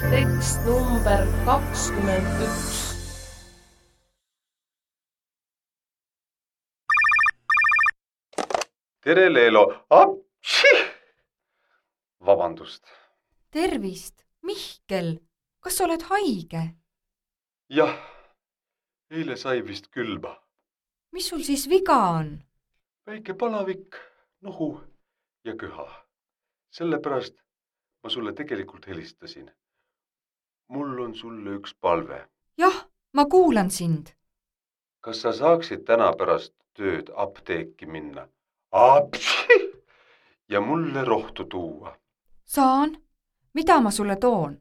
Tekst number 21. Tere, Leelo! Apši! Vabandust. Tervist, Mihkel, kas oled haige? Jah, eile sai vist külma. Mis sul siis viga on? Väike palavik, nohu ja köha. Sellepärast ma sulle tegelikult helistasin. Mul on sulle üks palve. Jah, ma kuulan sind. Kas sa saaksid täna pärast tööd apteeki minna? Apši! Ja mulle rohtu tuua. Saan? Mida ma sulle toon?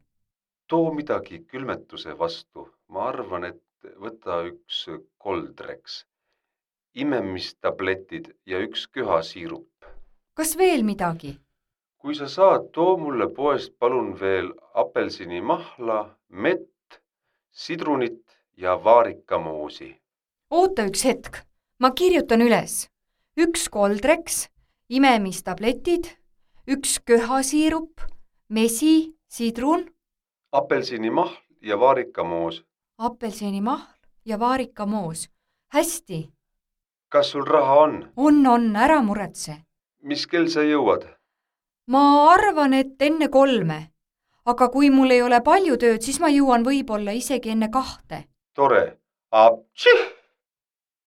Too midagi külmetuse vastu. Ma arvan, et võta üks Coldrex, imemistabletid ja üks köhasiirup. Kas veel midagi? Kui sa saad, too mulle poest palun veel apelsinimahla, mett, sidrunit ja vaarikamoosi. Oota üks hetk, ma kirjutan üles. Üks Coldrex, imemistabletid, üks köhasiirup, mesi, sidrun, Apelsinimahl ja vaarikamoos. apelsinimahl ja vaarikamoos. Hästi. Kas sul raha on? On, ära muretse. Mis kell sa jõuad? Ma arvan, et enne 3. Aga kui mul ei ole palju tööd, siis ma jõuan võib-olla isegi enne 2. Tore. Apši!